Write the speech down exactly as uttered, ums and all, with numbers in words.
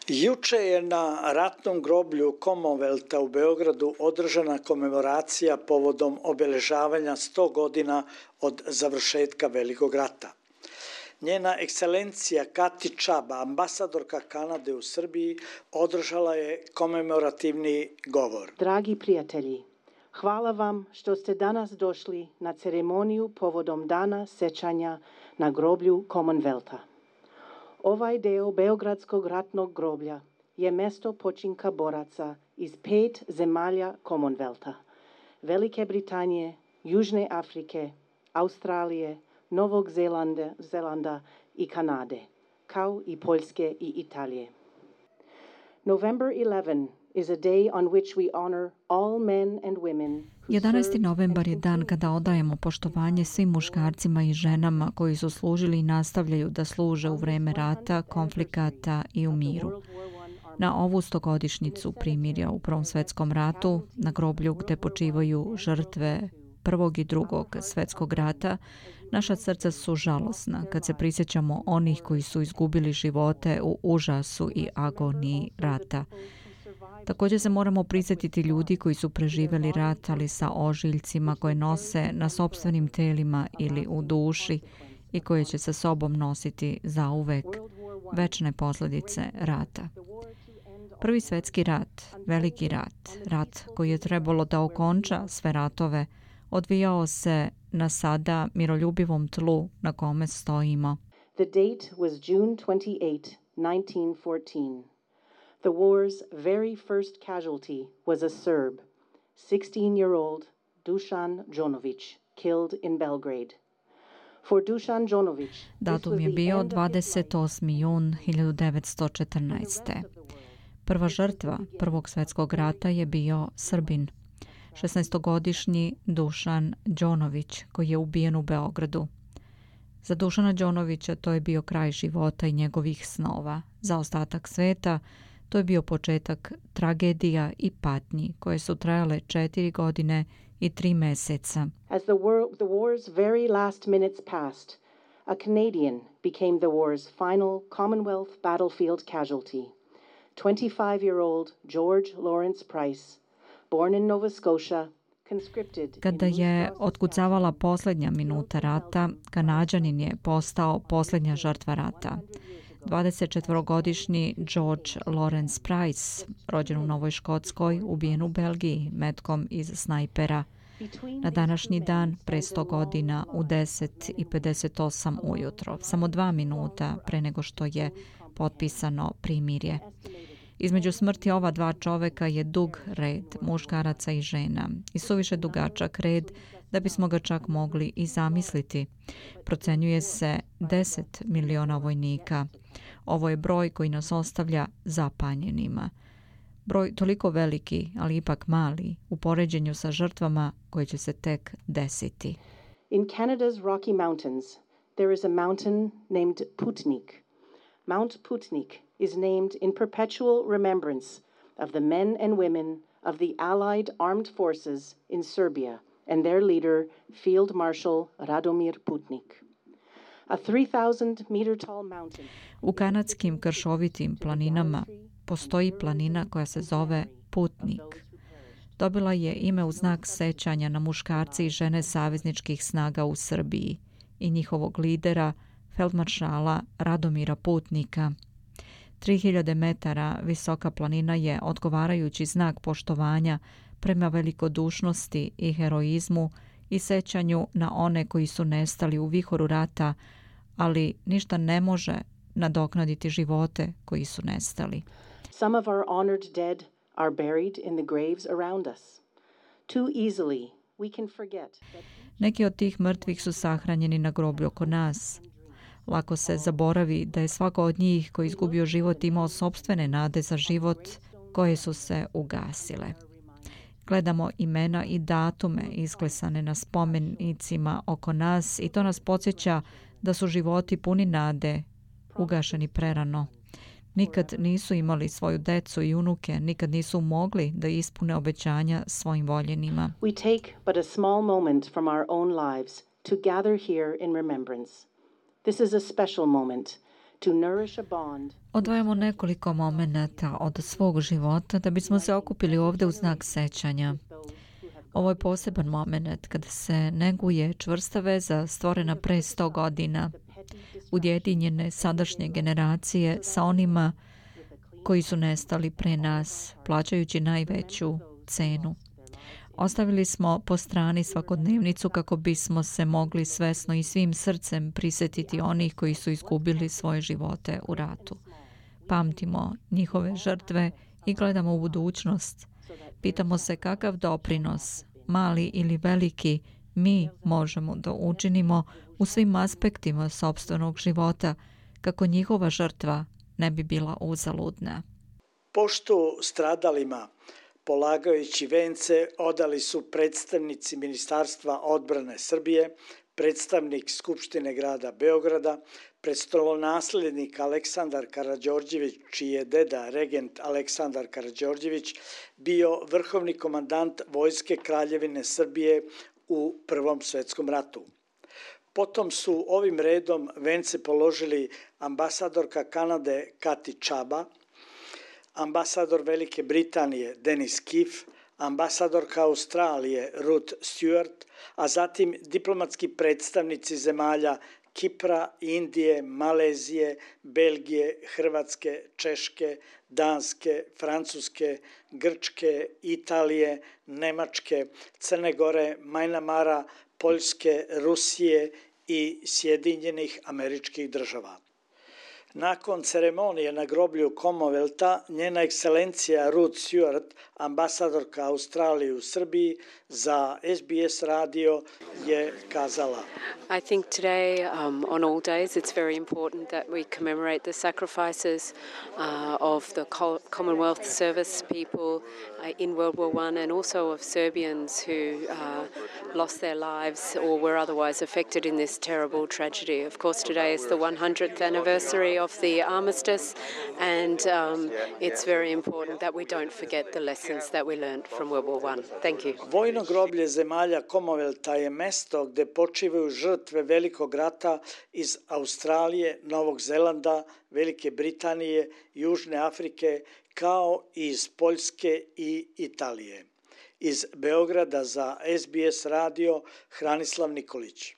Juče je na ratnom groblju Commonwealtha u Beogradu održana komemoracija povodom obeležavanja sto godina od završetka Velikog rata. Njena ekscelencija Kati Čaba, ambasadorka Kanade u Srbiji, održala je komemorativni govor. Dragi prijatelji, hvala vam što ste danas došli na ceremoniju povodom dana sećanja na groblju Commonwealtha. Ovaj deo Beogradskog ratnog groblja je mesto počinka boraca iz pet zemalja Commonwealtha: Velike Britanije, Južne Afrike, Australije, Novog Zelanda, Zelanda i Kanade, kao i Poljske i Italije. November eleventh is a day on which we honor all men and women. jedanaesti novembar je dan kada odajemo poštovanje svim muškarcima i ženama koji su služili i nastavljaju da služe u vreme rata, konflikata i u miru. Na ovu stogodišnjicu primirja u Prvom svetskom ratu, na groblju gde počivaju žrtve Prvog i Drugog svetskog rata, naša srca su žalosna kad se prisjećamo onih koji su izgubili živote u užasu i agoniji rata. Također se moramo prisjetiti ljudi koji su preživjeli rat, ali sa ožiljcima koje nose na sopstvenim telima ili u duši i koje će sa sobom nositi zauvek večne posljedice rata. Prvi svjetski rat, veliki rat, rat koji je trebalo da okonča sve ratove, odvijao se na sada miroljubivom tlu na kome stojimo. The date was June twenty-eighth, nineteen fourteen. The war's very first casualty was a Serb, sixteen-year-old Dušan Đonović, killed in Belgrade. For Dušan Đonović, datum je bio dvadeset osmi jun hiljadu devetsto četrnaeste. Prva žrtva Prvog svjetskog rata je bio Srbin, šesnaestogodišnji Dušan Đonović, koji je ubijen u Beogradu. Za Dušana Đonovića to je bio kraj života i njegovih snova. Za ostatak sveta to je bio početak tragedija i patnji koje su trajale četiri godine i tri meseca. As the, war, the war's very last minutes passed, a Canadian became the war's final Commonwealth battlefield casualty. twenty-five-year-old George Lawrence Price, born in Nova Scotia, conscripted. Kada je otkucavala posljednja minuta rata, Kanađanin je postao posljednja žrtva rata. dvadesetčetvorogodišnji George Lawrence Price, rođen u Novoj Škotskoj, ubijen u Belgiji metkom iz snajpera. Na današnji dan, pre sto godina, u deset i pedeset osam ujutro, samo dva minuta pre nego što je potpisano primirje. Između smrti ova dva čoveka je dug red muškaraca i žena i suviše dugačak red da bismo ga čak mogli i zamisliti. Procenjuje se deset miliona vojnika. Ovo je broj koji nas ostavlja zapanjenima. Broj toliko veliki, ali ipak mali, u poređenju sa žrtvama koje će se tek desiti. In Canada's Rocky Mountains, there is a mountain named Putnik. Mount Putnik is named in perpetual remembrance of the men and women of the Allied armed forces in Serbia and their leader, Field Marshal Radomir Putnik. A three thousand meter tall mountain. U kanadskim kršovitim planinama postoji planina koja se zove Putnik. Dobila je ime u znak sećanja na muškarce i žene savezničkih snaga u Srbiji i njihovog lidera, feldmaršala Radomira Putnika. tri hiljade metara visoka planina je odgovarajući znak poštovanja prema velikodušnosti i heroizmu i sećanju na one koji su nestali u vihoru rata, ali ništa ne može nadoknaditi živote koji su nestali. Some of our honored dead are buried in the graves around us. Too easily we can forget that... Neki od tih mrtvih su sahranjeni na groblju oko nas. Lako se zaboravi da je svako od njih koji izgubio život imao sopstvene nade za život koje su se ugasile. Gledamo imena i datume isklesane na spomenicima oko nas i to nas podsjeća da su životi puni nade ugašeni prerano. Nikad nisu imali svoju decu i unuke, nikad nisu mogli da ispune obećanja svojim voljenima. We take but a small moment from our own lives to gather here in remembrance. This is a special moment to nourish a bond. Odvajamo nekoliko momenata od svog života da bismo se okupili ovdje u znak sećanja. Ovo je poseban moment kada se neguje čvrsta veza stvorena pre sto godina, ujedinjene sadašnje generacije sa onima koji su nestali pre nas, plaćajući najveću cenu. Ostavili smo po strani svakodnevnicu kako bismo se mogli svesno i svim srcem prisjetiti onih koji su izgubili svoje živote u ratu. Pamtimo njihove žrtve i gledamo u budućnost. Pitamo se kakav doprinos, mali ili veliki, mi možemo da učinimo u svim aspektima sopstvenog života kako njihova žrtva ne bi bila uzaludna. Poštu stradalima, polagajući vence, odali su predstavnici Ministarstva odbrane Srbije, predstavnik Skupštine grada Beograda, prestolonaslednik Aleksandar Karađorđević, čiji je deda regent Aleksandar Karađorđević bio vrhovni komandant Vojske Kraljevine Srbije u Prvom svetskom ratu. Potom su ovim redom vence položili ambasadorka Kanade Kati Čaba, ambasador Velike Britanije Denis Kiff, ambasadorka Australije Ruth Stewart, a zatim diplomatski predstavnici zemalja Kipra, Indije, Malezije, Belgije, Hrvatske, Češke, Danske, Francuske, Grčke, Italije, Nemačke, Crne Gore, Majnamara, Poljske, Rusije i Sjedinjenih Američkih Država. Nakon ceremonije na groblju Commonwealtha, njena ekscelencija Ruth Stewart, ambasadorka Australije u Srbiji, za S B S radio je kazala: I think today, um, on all days, it's very important that we commemorate the sacrifices uh, of the Commonwealth service people uh, in World War One and also of Serbians who uh, lost their lives or were otherwise affected in this terrible tragedy. Of course, today is the one hundredth anniversary of the armistice, and um, it's very important that we don't forget the lessons that we learned from World War One. Thank you. Vojno groblje zemalja Commonwealtha je mesto gde počivaju žrtve Velikog rata iz Australije, Novog Zelanda, Velike Britanije, Južne Afrike, kao i iz Poljske i Italije. Iz Beograda za S B S radio Hranislav Nikolić.